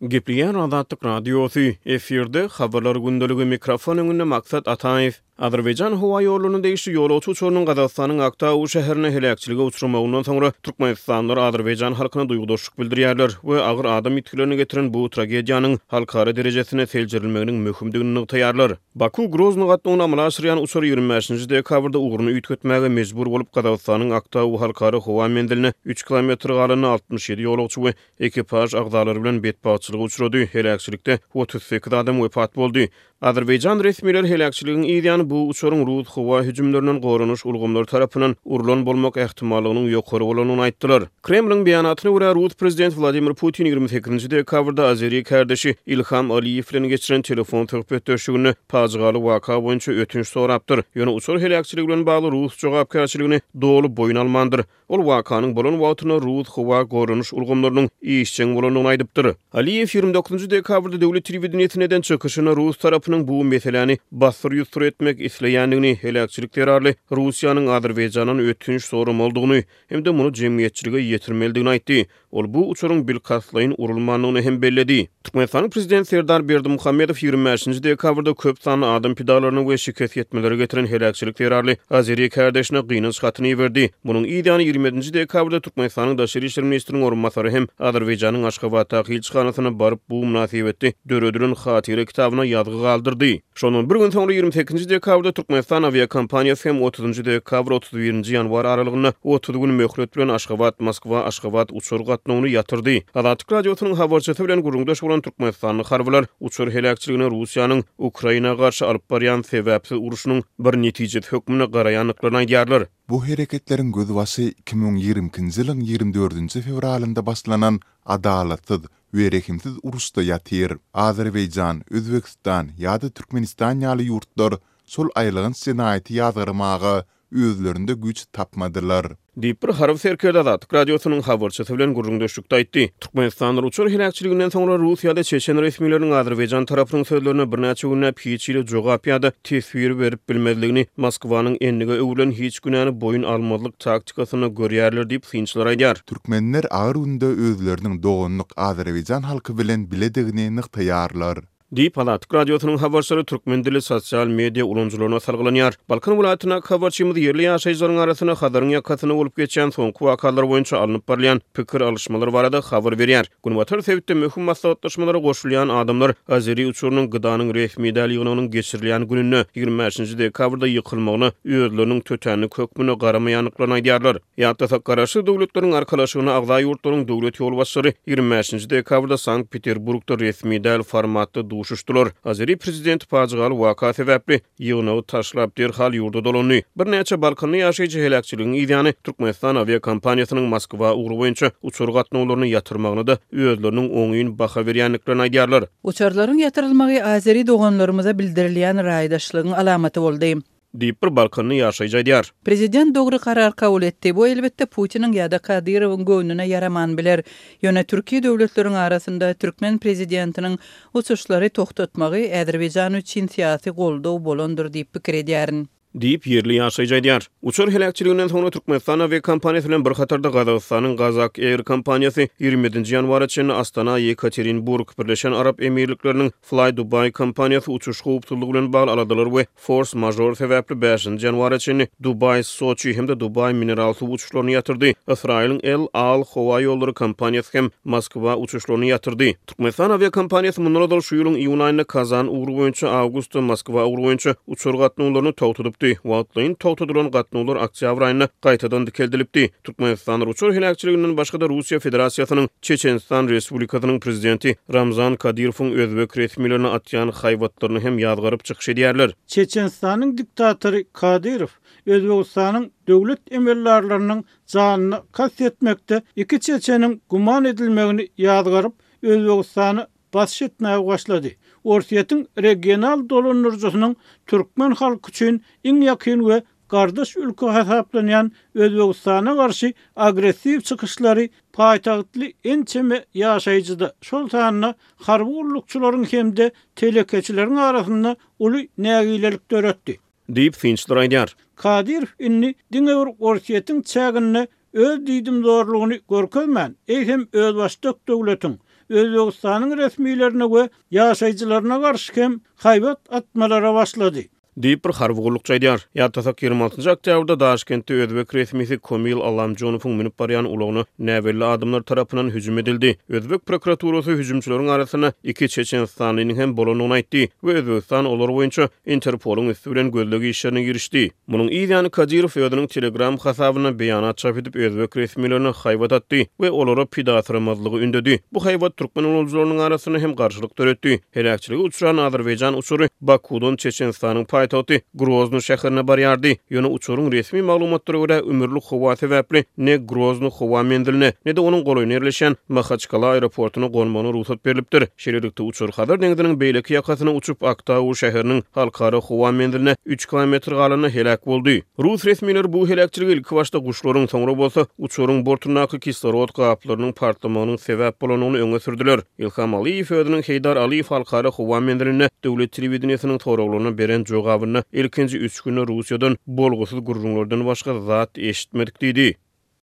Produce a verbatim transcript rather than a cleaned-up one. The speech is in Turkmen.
Gepleýär Azatlyk Radiosy, efirde Habarlar gündeligi, mikrofon öňünde Maksat Ataýew. Azerbaýjan howa ýollaryna degişli ýolagçy uçarynyň Gazagystanyň Aktau şäherinde heläkçilige uçramagyndan soňra türkmenistanlylar azerbaýjan halkyna duýgudaşlyk bildirýärler we agyr adam ýitgilerine getiren bu tragediýanyň halkara derejesinde seljerilmeginiň möhümdigini nygtaýarlar. Baku-Grozny gatnawyny amala aşyrýan uçar ýigrimi bäşinji dekabrda ugruny üýtgetmäge mejbur bolup, Gazagystanyň Aktau halkara howa menziline üç kilometr galanda altmyş ýedi ýolagçy we ekipaž agzalary bilen betbagtçylyga uçrady, heläkçilikde otuz sekiz adam wepat boldy. Azerbaýjan resmileri heläkçiligiň yz ýany bu uçaryň rus howa hüjümlerinden goranyş ulgamlary tarapyndan urlan bolmak ähtimallygynyň ýokary bolandygyny aýtdylar. Kremliň beýanatyna görä, rus prezidenti Wladimir Putin ýigrimi sekizinji dekabrda azeri kärdeşi Ilham Aliýew bilen geçiren telefon söhbetdeşliginde pajygaly waka boýunça ötünç sorapdyr. Ýöne uçar heläkçiligi bilen bagly rus jogapkärçiligini doly boýun almandyr. Ol wakanyň bolan wagtynda rus howa goranyş ulgamlarynyň işjeň bolandygyny aýdypdyr. Aliýew ýigrimi dokuzynjy dekabrda döwlet telewideniýesinde eden çykyşynda rus tarapynyň bu meseläni bassyr-ýusur etmek isleýändigini, heläkçilik zerarly Russiýanyň Azerbaýjandan ötünç soramalydygyny hem-de muny jemgyýetçilige ýetirmelidigini aýtdy. Ol bu uçaryň bilkastlaýyn urulmandygyny hem belledi. Türkmenistanyň prezidenti Serdar Berdimuhamedow ýigrimi bäşinji dekabrda köp sanly adam pidalaryna we şikes ýetmelere getiren heläkçilik zerarly azeri kärdeşine gynanç hatyny iberdi. Munuň yz ýany ýigrimi ýedinji dekabrda Türkmenistanyň Daşary işler ministriniň orunbasary hem Azerbaýjanyň Aşgabatdaky ilçihanasyna baryp bu mynasybetli döredilen hatyra kitabyna ýazgy galdyrdy. Şondan bir gün soňra ýigrimi sekizinji dekabrda Türkmenistan awiakompaniýasy hem otuzynjy dekabr otuz birinji ýanwar aralygynda otuz gün möhlet bilen Aşgabat, Moskwa, Aşgabat uçar gatnawyny ýatyrdy. Azatlyk Radiosynyň habarçysy bilen gürrüňdeş bolan türkmenistanly harbylar uçar heläkçiligine Russiýanyň Ukraina garşy alyp barýan sebäpsiz urşunyň bir netijesi hökmünde garaýandyklaryny aýdýarlar. Bu hereketleriň gözbaşy iki müň ýigrimi ikinji ýylyň ýigrimi dördünji fewralynda başlanan adalatsyz we rehimsiz uruşda ýatyr. Azerbaýjan, Özbegistan ýa-da Türkmenistan ýaly ýurtlar şol aýylganç jenaýaty ýazgarmaga özlerinde güýç tapmadylar. Diýip, bir harby serkerde Azatlyk Radiosynyň habarçysy bilen gürrüňdeşlikde aýtdy. Türkmenistanlylar uçar heläkçiliginden soňra rus ýa-da çeçen resmileriniň Azerbaýjan tarapynyň sözlerine birnäçe günläp hiç hili jogap ýa-da teswir berip bilmezligini Moskwanyň endige öwrülen hiç günäni boýun almazlyk taktikasynda görýärler diýip, synçylar aýdýar. Türkmenler agyr günde özleriniň doganlyk Azerbaýjan halky bilen biledigini nygtaýarlar. Diýip, Azatlyk Radiosynyň habarçylary türkmen dilli sosial media ulanyjylaryna salgylanýar. Balkan welaýatyndaky habarçymyz ýerli ýaşaýjylaryň arasynda Hazaryň ýakasynda bolup geçýän soňky wakalar boýunça alnyp barylýan pikir alyşmalar barada habar berýär. Günbatar sebitde möhüm maslahatlaşmalara goşulýan adamlar azeri uçarynyň gydanyň resmi däl ýygnagynyň geçirilýän gününde, ýigrimi bäşinji dekabrda ýykylmagyna özleriniň tötänlik hökmünde garamaýandyklaryny aýdýarlar. Ýatlasak, Garaşsyz Döwletleriň Arkalaşygyna agza ýurtlaryň döwlet ýolbaşçylary ýigrimi bäşinji dekabrda Sankt-Peterburgda resmi däl formatda duşuşdylar. Azeri prezidenti pajygaly waka sebäpli ýygnagy taşlap derhal ýurda dolandy. Birnäçe Balkanly ýaşaýjy heläkçiligiň yz ýany Türkmenistan awiakompaniýasynyň Moskwa ugry boýunça uçar gatnawlaryny ýatyrmagyna-da özleriniň oňyn baha berýändiklerini aýdýarlar. Uçarlaryň ýatyrylmagy azeri doganlarymyza bildirilýän raýdaşlygyň alamaty boldy. Diýip, bir Balkanly ýaşaýjy aýdýar. Prezident dogry karar kabul etdi. Bu elbetde Putiniň ýa-da Kadyrowyň göwnüne ýaraman biler. Ýöne türki döwletleriň arasynda türkmen prezidentiniň uçuşlary togtatmagy Azerbaýjan üçin syýasy goldaw bolandyr diýip pikir edýärin. Diýip, ýerli ýaşaýjy aýdýar. Uçar heläkçiliginden soňra Türkmenistan awiakompaniýasy bilen bir hatarda Gazagystanyň Gazak Air kompaniýasy ýigrimi ýedinji ýanwara çenli Astana, Ýekaterinburg, Birleşen Arap Emirlikleriniň Fly Dubai kompaniýasy uçuş howpsuzlygy bilen bagly aladalar we fors-mažor sebäpli bäşinji ýanwara çenli Dubaý, Soçi hem-de Dubaý mineral suw uçuşlaryny ýatyrdy. Ysraýylyň El Al howa ýollary kompaniýasy hem Moskwa uçuşlaryny ýatyrdy. Türkmenistan awiakompaniýasy mundan ozal şu ýylyň iýun aýynda Kazan ugry boýunça, awgustda Moskwa ugry boýunça uçar gatnawlaryny togtadypdy. Wagtlaýyn togtadylan gatnawlar oktýabr aýynda gaýtadan dikeldilipdi. Türkmenistan uçar heläkçiliginden başga-da Russiýa Federasiýasynyň Çeçenistan Respublikasynyň prezidenti Ramzan Kadyrowyň özbek resmilerine atýan haýbatlaryny hem ýazgaryp çykyş edýärler. Çeçenistanyň diktatory Kadyrow Özbegistanyň döwlet emeldarlarynyň janyna kast etmekde iki çeçeniň güman edilmegini ýazgaryp, Özbegistany basyş etmäge başlady. Orsýetiň regional dolandyryjysynyň türkmen halky üçin iň ýakyn we gardaş ülke hasaplanýan Özbegistana garşy agressiw çykyşlary paýtagtly ençeme ýaşaýjyda, şol sanda harby gullukçylaryň hem-de telekeçileriň arasynda uly nägilelik döretdi. Diýip, synçylar aýdýar. Kadyrow indi diňe bir Orsýetiň çäginde öz diýdimzorlugyny görkezmän, eýsem özbaşdak döwletiň, Özbegistanyň resmilerine we ýaşaýjylaryna garşy hem haýbat atmalara başlady. Diýip, bir harby gullukçy aýdýar. Ýatlasak, ýigrimi altynjy oktýabrda Daşkentde özbek resmisi Komil Allamjonowyň münüp barýan ulagyna näbelli adamlar tarapyndan hüjüm edildi. Özbek prokuraturasy hüjümçileriň arasynda iki çeçenistanlynyň hem bolandygyny aýtdy we Özbegistan olar boýunça Interpolyň üsti bilen gözleg işlerine girişdi. Munuň yz ýany Kadyrow özüniň Telegram hasabynda beýanat çap edip, özbek resmilerine haýbat atdy we olara pidasyramazlygy ündedi. Bu haýbat türkmen ulanyjylarynyň arasynda hem garşylyk döretdi. Heläkçilige uçran azerbaýjan uçary Bakuwdan Çeçenistanyň paýtagty Grozny şäherine barýardy. Ýöne uçaryň resmi maglumatlara görä, ümürli howa sebäpli ne Grozny howa menziline, ne-de onuň golaýynda ýerleşýän Mahaçkala aeroportuna gonmagyna rugsat berlipdir. Şeýlelikde, uçar Hazar deňziniň beýleki ýakasyna uçup, Aktau şäheriniň halkara howa menziline üç kilometr galanda heläk boldy. Rus resmileri bu heläkçilige ilkibaşda guşlaryň, soňra bolsa uçaryň bortundaky kislorod gaplarynyň partlamagynyň sebäp bolandygyny öňe sürdüler. Ilham Aliýew özüniň Heýdar Aliýew halkara howa menzilinde döwlet telewideniýesiniň soraglaryna beren jogabynda ilkinji üç günde Russiýadan bolgusyz gürrüňlerden başga zat eşitmedik diýdi.